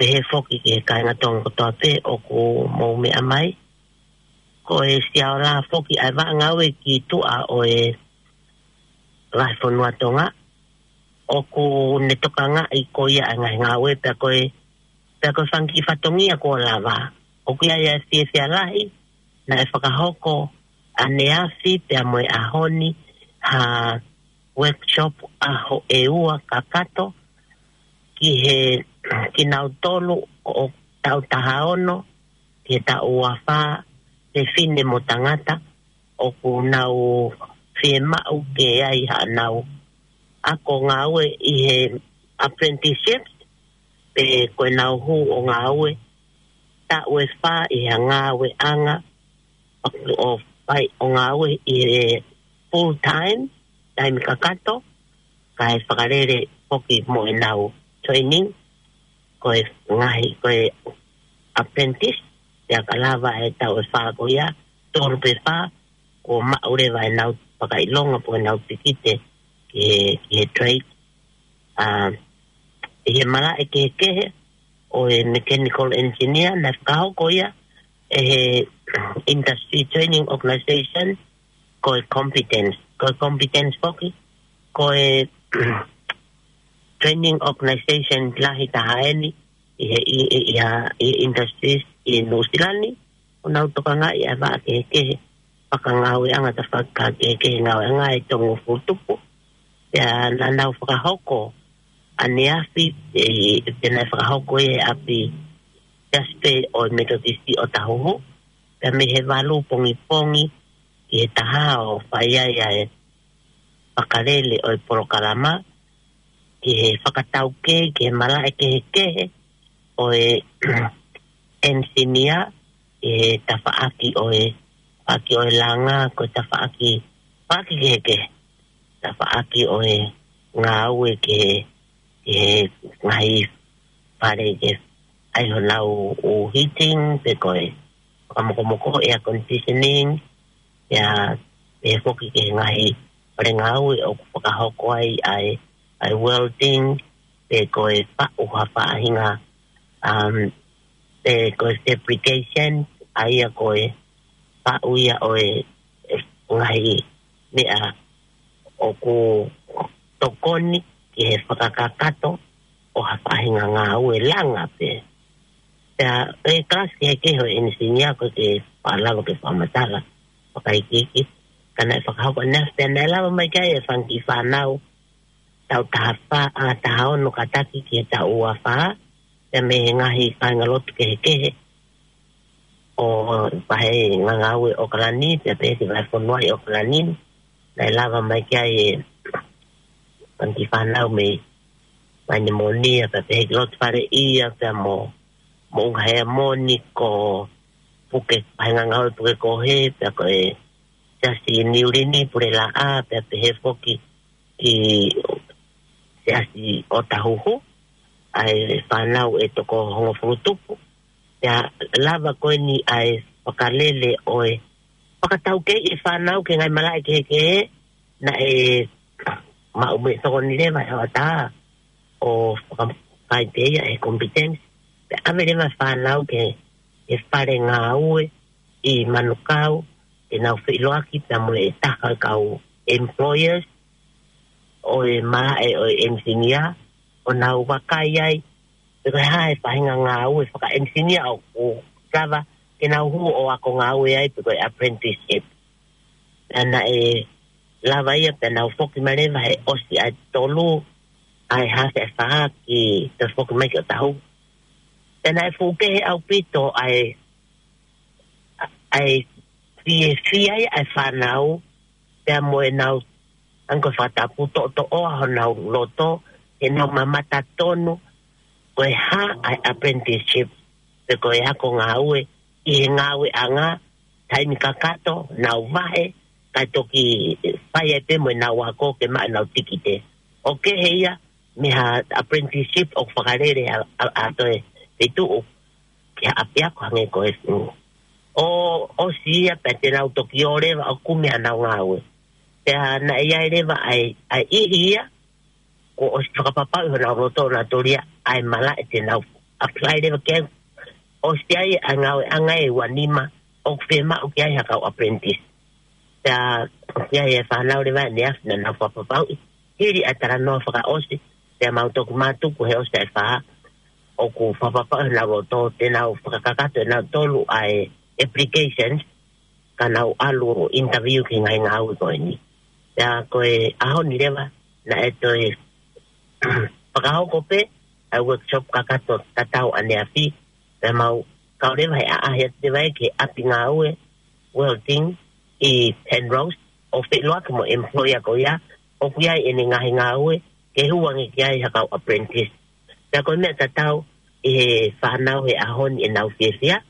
pehē foki ki he kāinga Tonga kotoa pē ʻoku mou meʻa mai. Ko e Siaola foki ʻa e vaʻa ngāue ki tuʻa ʻo e vahefonua Tonga, ʻoku ne tokangaʻi ko ia ʻa e ngaahi ngāue pea ko e, pea ko e fanga kiʻi fatongia kuo lava. ʻOku ʻi ai ʻa e fiefia lahi naʻe fakahoko ʻaneafi pea mo e ʻaho ni ha workshop ʻaho ʻe ua kakato ki he, kinautolu ʻo taʻu taha ono ki he taʻu ua fā, fefine mo tangata, ʻoku nau fiemaʻu ke ʻi ai haʻanau ako ngāue ʻi he apprenticeship, pe ko ʻenau hū ʻo ngāue taʻu ʻe fā ʻi he ngāueʻanga, ʻo fai ʻo ngāue ʻi he full time, taimi kakato, kae fakalele foki mo ʻenau training, ko e ngaahi, ko e apprentice, pea ka lava e taʻu ʻe fā ko ia, tolu pe fā, kuo maʻu leva ʻenau fakaʻilonga pe ko ʻenau pikite ki he, ki he trade. ʻA, ʻi he malaʻe kehekehe ʻo e mechanical engineer, naʻe fakahoko ia ʻe he Industry Training Organization, ko e Competence, ko e Competence foki, ko e training organization lahi taha eni ʻi he, ʻi, ʻi, ʻi ha, ʻi industries ʻi Nuʻusila ni, ʻoku nau tokangaʻi ʻa e vaʻa kehekehe, fakangāueʻanga tafaʻaki kehekehe ngāueʻanga ʻe toko hongofulu tupu. Pea naʻa nau fakahoko ʻaneafi, ʻe, pea naʻe fakahoko ʻi he ʻapi Siasi pē ʻo e Metotisi ʻo Tahuhu, pea mei he valu pongipongi ki he taha ʻo fai ai ʻa e fakalele ʻo e polokalama, ki he fakataukei ki he malaʻe kehekehe ʻo e engineer, ki he tafaʻaki ʻo e, tafaʻaki ʻo e langa, ko e tafaʻaki, tafaʻaki kehekehe, tafaʻaki ʻo e ngāue ki he, ki he ngaahi fale ke ʻai honau ʻū heating, pe ko e fakamokomoko, air conditioning, pea pehē foki ki he ngaahi fale ngāue ʻoku fakahoko ai ʻa e, ʻa e welding, pe ko e faʻu ha faʻahinga, um, pe ko e fabrication, ʻa ia ko e faʻu ia ʻo e, e ngaahi meʻa ʻoku tokoni ki he fakakakato ʻo ha faʻahinga ngāue langa pē. Pea e kalasi kehekehe ʻo e engineer ko e ke faʻa lava ke fakamatala fakaikiiki, ka naʻe fakahoko ʻaneafi pea naʻe lava mai ki ai e fanga kiʻi fānau taʻu taha fā, ʻa, taha ono kātaki ki he taʻu ua fā, pea mei he ngaahi kāingalotu kehekehe ʻo e vahe ngāue ʻi ʻOkalani, pea pehē ki he vahefonua ʻi ʻOkalani, naʻe lava mai ki ai e fanga kiʻi fānau mei Vainemonia, pea pehē ki Lotofaleʻia, pea mo, mo Ungahea Moni, ko Puke, vahe ngāue Pukekohe, pea ko e Siasi Niulini, Pulelaʻā, pea pehē foki ki Siasi ʻo Tahuhu, ʻa e fānau ʻe toko hongofulu tupu. Pea lava ko eni ʻa e fakalele ʻo e fakataukei e fānau ki he ngaahi malaʻe kehekehe, naʻe maʻu mei he tokoni leva ʻe he hoʻatā ʻo fakafai pē ia e competence. Pea ʻave leva e fānau ki he fale ngāue ʻi Manukau, te nau feʻiloaki pea mo e taha kau employers ʻo e malaʻe ʻo e engineer, ʻo nau vakai ai pe ko e hā e faʻahinga ngāue faka-engineer ʻoku lava ke nau hū ʻo ako ngāue ai pe ko e apprenticeship. Pea naʻe lava ia pea nau foki mai leva he ʻosi ʻa e tolu ʻa e hafe ʻa e fā ki he toe foki mai ki ʻOtahuhu. Pea naʻe fuʻu kehe ʻaupito ʻa e, ʻa e fiefia ia ʻa e fānau, pea mo ʻenau anga ko e fakatapu toʻotoʻoa honau loto, ʻenau mamata tonu ko e hā ʻa e apprenticeship pe ko e ako ngāue ʻi he ngāueʻanga, taimi kakato, nau vahe, kae toki fai ai pē mo ʻenau ako ke maʻu ʻenau tikite. ʻOku kehe ia mei ha apprenticeship ʻoku fakalele ʻa, ʻa, ʻa e toe feituʻu ki ha ʻapiako hangē ko e, mm, ʻo, ʻosi ia pea te nau toki ō leva ʻo kumi ʻenau ngāue. Pea naʻe ʻi ai leva ʻa e, ʻa e ʻihi ia, kuo ʻosi fakapapauʻi honau loto ʻo nau toli ia ʻa e malaʻe te nau apply leva ki ai. ʻOsi ʻi ai ʻa e ngāueʻanga ʻe ua nima ʻoku fiemaʻu ki ai ha kau apprentice. Pea ʻoku ʻi ai e fānau leva ʻe neafi naʻa nau fakapapauʻi. Hili ʻa e talanoa fakaʻosi, pea mau toki mātuku he ʻosi ʻa e fā, ʻoku fakapapauʻi honau loto te nau fakakakato ʻe nautolu ʻa e applications, ka nau ʻalu ʻo interview ki he ngaahi ngāue ko eni. Pea ko e ʻaho ni leva, naʻe toe fakahoko pē ʻa e workshop kakato tatau ʻaneafi, pea mau kau leva he ʻaʻahi atu leva ia ki he ʻapi ngāue welding ʻi Penrose, ʻo feʻiloaki mo e employer ko ia, ʻoku ʻi ai ʻene ngaahi ngāue ke hū ange ki ai ha kau apprentice. Pea ko e meʻa tatau ʻi he fānau he ʻaho ni ʻenau fiefia,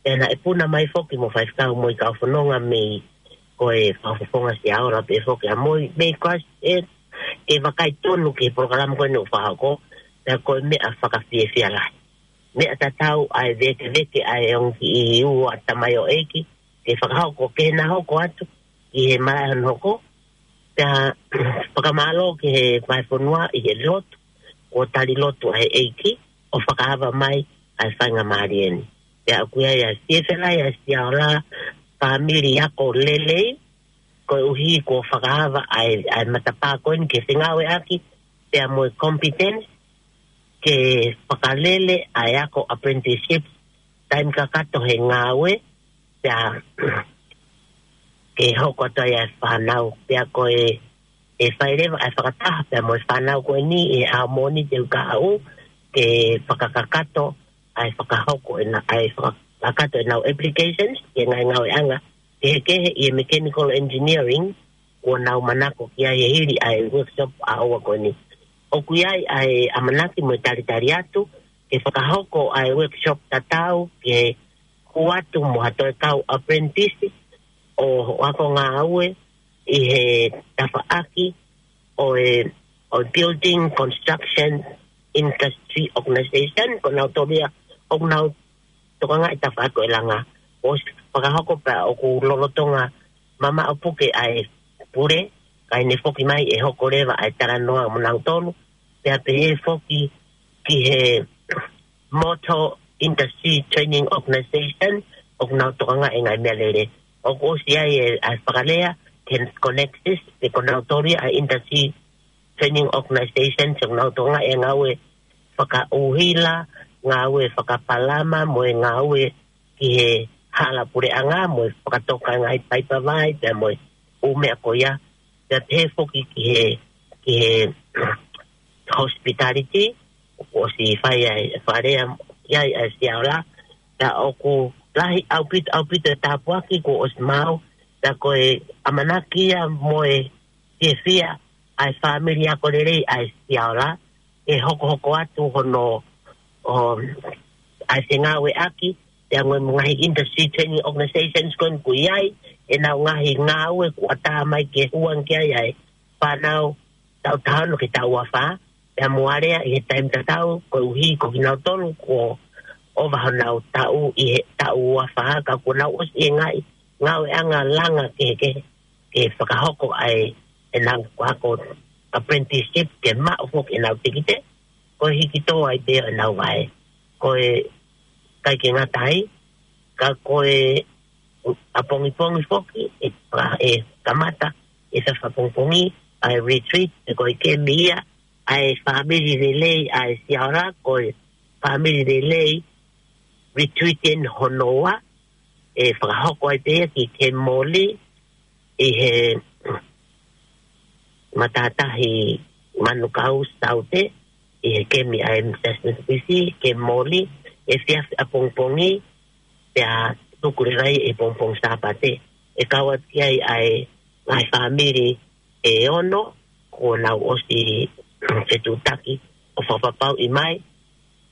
pea naʻe puna mai foki mo faifekau mo e kau fononga mei ko e Fakafofonga Siaola pē foki ʻa Moi, mei Christchurch, ke vakai tonu ki he polokalama ko eni ʻoku fakahoko, pea ko e meʻa fakafiefia lahi. Meʻa tatau ʻa e vēkeveke ʻa e ongo kiʻi ua tamaioʻeiki, ke fakahoko, ke na hoko atu ki he malaʻe hono hoko, pea fakamālō ki he vahefonua ʻi he lotu, kuo tali lotu ʻa e ʻEiki, ʻo fakaava mai ʻa e faingamālie ni. Pea ʻoku ʻi ai ʻa e fiefia lahi ʻa Siaola, fāmili ako lelei, koeʻuhi kuo fakaava ʻa e, ʻa e matapā ko eni ke fengāueʻaki, pea mo e competence, ke fakalele ʻa e ako apprenticeship, taimi kakato he ngāue, pea ke hoko atu ai ʻa e fānau, pea ko e, ʻe fai leva ʻa e fakataha, pea mo e fānau ko eni ʻi he ʻaho ni te u kahaʻu, ke fakakakato ʻa e fakahoko ʻena, ʻa e fakakakato ʻenau applications, ki he ngaahi ngāueʻanga kehekehe ʻi he mechanical engineering, kuo nau manako ki ai he hili ʻa e workshop ʻa ʻoua ko eni. ʻOku ʻi ai ʻa e ʻamanaki mo e talitali atu, ke fakahoko ʻa e workshop tatau, ke hū atu mo ha toe kau apprentice, ʻo, ʻo ako ngāue ʻi he tafaʻaki ʻo e, ʻo e Building Construction Industry Organization, ko nautolu ia ʻoku nau tokangaʻi tafaʻaki ʻo e langa. ʻOsi fakahoko pea ʻoku lolotonga mamaʻo puke ʻa e pule, kae ne foki mai ʻe hoko leva ʻa e talanoa mo nautolu, pea pehē foki ki he Motor Industry Training Organization, ʻoku nau tokangaʻi e ngaahi meʻalele. ʻOku ʻosi ʻi ai e, ʻa e fakalea, ke Connexis, pe ko nautolu ia ʻa e Industry Training Organization, ʻoku nau tokangaʻi e ngāue fakaʻuhila, ngāue fakapalama, mo e ngāue ki he hala puleʻanga, mo e fakatoka e ngaahi paipa vai, pea mo e ʻū meʻa ko ia, pea pehē foki ki he, ki he hospitality, ʻoku ʻosi fai ai, fale ai, ai, ai Siaola, pea ʻoku lahi ʻaupito, ʻaupito e tāpuaki kuo ʻosi maʻu, pea ko e ʻamanaki ia mo e fiefia ʻa e fāmili ako lelei ʻa e Siaola, ʻe hokohoko atu hono, ʻo, ʻa e fengāueʻaki, pea mo e ngaahi industry training organizations ko eni ʻoku ʻi ai, ʻenau ngaahi ngāue kuo ʻatā mai ke hū ange ki ai ʻa e fānau taʻu taha ono ki he taʻu ua fā, pea mo alea ʻi he taimi tatau, koeʻuhi ko kinautolu kuo ʻova honau taʻu ʻi he taʻu ua fā, ka kuo nau ʻosi ʻi he ngaahi ngāueʻanga langa kehekehe, ke fakahoko ai ʻenau ako apprenticeship ke maʻu foki ʻenau tikite, ko e hiki tō ai pē ʻenau vahe. Ko e ʻikai ke ngata ai, ka ko e ʻapongipongi foki, ʻe, ʻe kamata ʻi he fakapongipongi ʻa e retreat, ʻe ko e kemi ia ʻa e fāmili lelei ʻa e Siaola, ko e fāmili lelei retreat eni hono ua, ʻe fakahoko ai pē ia ki Kemimoli ʻi he matātahi Manukau Saute, ʻi he kemi ʻa e M S S P C, Kemimoli, ʻi he efiafi ʻapongipongi, pea tuku leva ia ʻi he pongipongi Sāpate. ʻE kau atu ki ai ʻa e ngaahi fāmili ʻe ono, kuo nau ʻosi fetuʻutaki ʻo fakapapauʻi mai,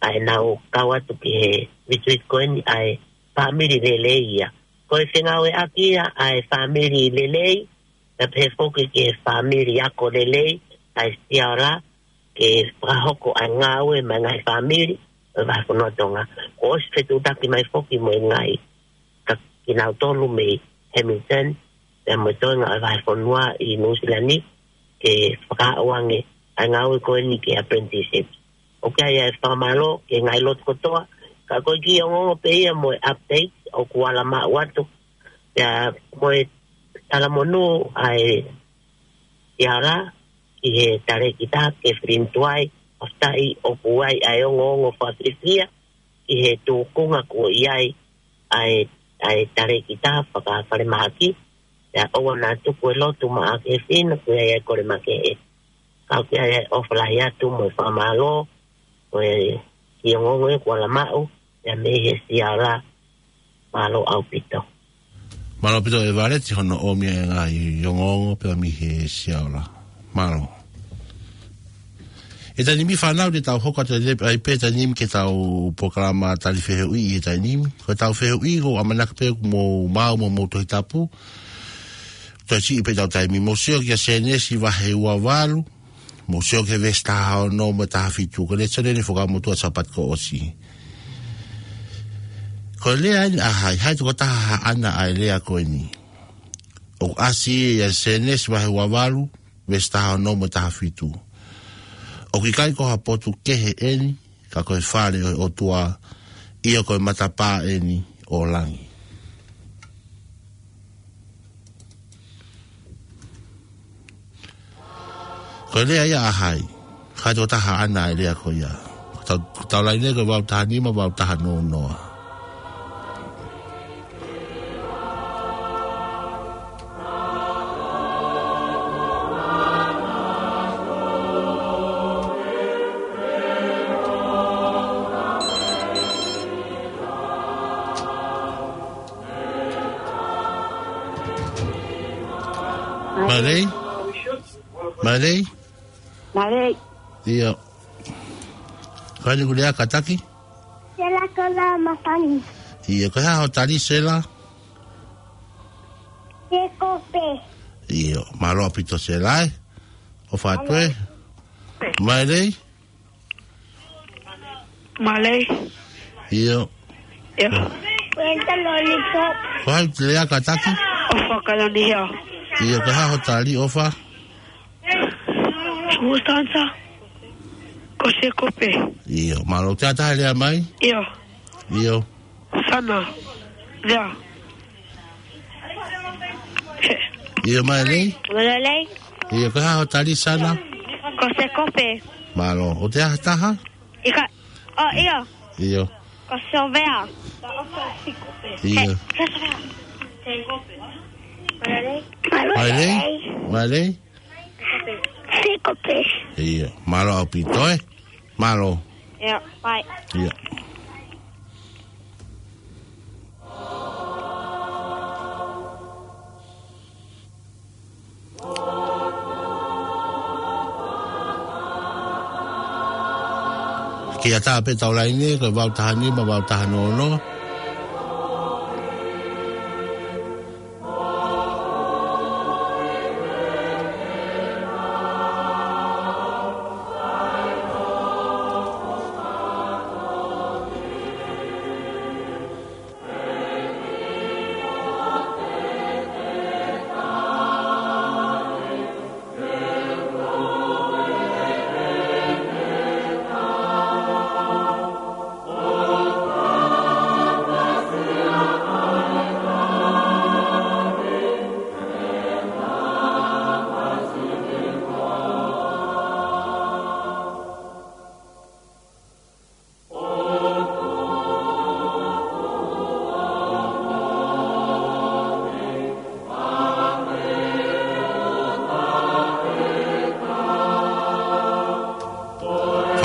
ʻa ʻenau kau atu ki he retreat ko eni ʻa e fāmili lelei ia. Ko e fengāueʻaki ia ʻa e fāmili lelei, pea pehē foki ki he fāmili ako lelei ʻa e Siaola, ke fakahoko ʻa e ngāue maʻa e ngaahi fāmili ʻo e vahefonua Tonga. Kuo ʻosi fetuʻutaki mai foki mo e ngaahi, ka kinautolu mei Hamilton, pea mo e toenga ʻo e vahefonua ʻi Nuʻusila ni, ke fakaaʻu ange ʻa e ngāue ko eni ki he apprenticeship. ʻOku ʻi ai ʻa e fakamālō ki he ngaahi lotu kotoa, ka ko e kiʻi ongoongo pē ia mo e update ʻoku ala maʻu atu, pea mo e talamonū ʻa e Siaola ki he talēkita Kathleen Tuai, ʻoku ʻi ai ʻoku ʻi ai ʻa e ongoongo fakafiefia ki he tūkunga kuo ʻi ai ʻa e, ʻa e talēkita fakafalemahaki, pea ʻoua naʻa tuku e lotu maʻa Kathleen, ʻoku ʻi ai ʻa e kole makehe. Ka ʻoku ʻi ai ʻa e ʻofa lahi atu mo e fakamālō, ko e kiʻi ongoongo ia kuo ala maʻu ia mei he Siaola, mālō ʻaupito. Mālō ʻaupito ʻEvaleti hono ʻomi e ngaahi ongoongo pea mei he Siaola. Mālō. ʻI he taimi ni fānau te tau hoko atu ai pē taimi ni ki heʻetau polokalama tali fehuʻi ʻi he taimi ni. Ko ʻetau fehuʻi ʻoku ʻamanaki pē ʻoku mou maʻu mo mou Tohi Tapu. Toe siʻi pē ʻetau taimi, mou sio kia Sēnesi vahe ua valu, mou sio ki he veesi taha ono mo e taha fitu, ko e lēsoni eni ʻoku fakamotuʻa Sāpate kuo ʻosi. Ko e lea eni ʻa hai, hai tokotaha haʻana ʻa e lea ko eni. ʻOku ʻasi ia ʻi Sēnesi vahe ua valu, veesi taha ono mo e taha fitu. ʻOku ʻikai ko ha potu kehe eni, ka ko e fale ʻo e ʻOtua, ʻio ko e matapā eni ʻo langi. Ko e lea ia ʻa hai, hai tokotaha haʻana ʻa e lea ko ia. Tau, tau laine ko e valu taha nima, valu taha noa noa. Mālō. Mālō. Mālō. ʻIo. Ko eni ʻoku lea kātaki? Sela Koloa Mafani. ʻIo, ko e hā hoʻo tali Sela? Sēkope. ʻIo, mālō ʻaupito Sela ē. ʻOfa atu ē. Mālō. Mālō. ʻIo. ʻIo. Wenta Lollipop. Ko hai te lea kātaki? ʻOfa Kalani ia. ʻIo, ko e hā hoʻo tali ʻOfa? Sumustansa. Ko Sēkope. ʻIo, mālō. Te ʻatā ha lea mai? ʻIo. ʻIo. Sana. Lea. ʻIo, mālō. Mālō. ʻIo, ko e hā hoʻo tali Sana? Ko Sēkope. Mālō. ʻOku ʻi ai ha taha? ʻIkai. ʻO, ʻio. ʻIo. Ko Sovea. ʻIo. He, ko Sovea. Mālō. Mālō. Mālō. Sēkope. ʻIo. Mālō ʻaupito ē. Mālō. ʻIo, bye. ʻIo. Kiʻi ʻatā pē ʻetau laine, ko e valu taha nima, valu taha noa noa.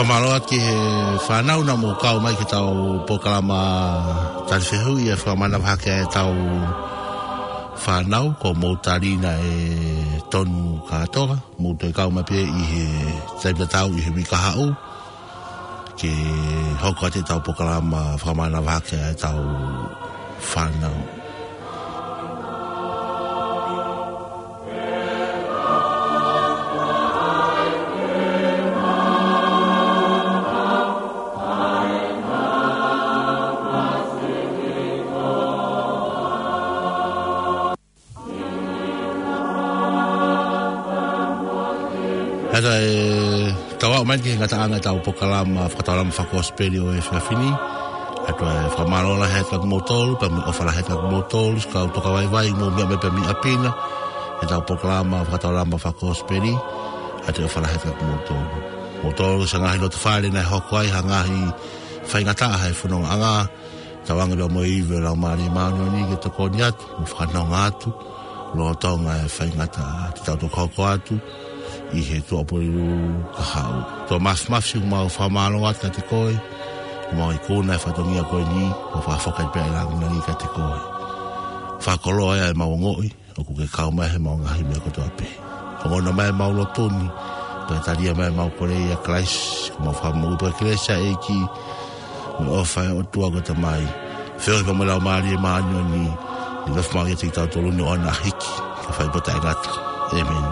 Mālō atu ki he fānau naʻa mou kau mai ki heʻetau polokalama tali fehuʻi ʻa e fakamanavahake ʻa ʻetau fānau, ko mou tali na e tonu kātoa, mou toe kau mai pē ʻi he taimi tatau ʻi he uike kahaʻu, ke hoko atu ʻetau polokalama fakamanavahake ʻa ʻetau fānau. Hata e tau aʻu mai ki he ngataʻanga ʻetau polokalama fakataulama fakakosipeli ʻo e efiafi ni. ʻOatu e fakamālō lahi atu kiate kimoutolu, pea mo e ʻofa lahi atu kiate kimoutolu, siʻi kau tokavaivai, mou meʻa mai pē mei ʻapi na, heʻetau polokalama fakataulama fakakosipeli, ʻoatu e ʻofa lahi atu kiate kimoutolu. Moutolu siʻa ngaahi loto fale naʻe hoko ai ha ngaahi faingataʻa he fonongaʻanga, tauange pea mo e ivi ʻo e Laumālie Māʻoniʻoni ke tokoni atu, mo fakanonga atu, lolotonga e faingataʻa, te tau toki hoko atu ʻi he Tuʻapulelulu kahaʻu. Tō Mafimafi, ʻoku mau fakamālō atu kiate koe, ʻoku mau ikuna e fatongia ko eni, ʻo fakafoki pē ʻa e lāngilangi kiate koe. Fakakoloa ʻemau ongoʻi, ʻoku ke kau mai heʻemau ngaahi meʻa kotoa pē. Ongona mai ʻemau lotu ni, pea talia mai ʻemau kole ʻia Kalaisi, ʻoku mau fakamoʻui pē ʻa e kelesi ʻa e ʻEiki, mo e ʻofa ʻa e ʻOtua ko e Tamai, feohi pea mo e Laumālie Māʻoniʻoni, ʻe nofo maʻu kiate kitautolu ni ʻo ʻaʻana hiki, kae fai pē ʻo taʻengata. ʻĒmeni.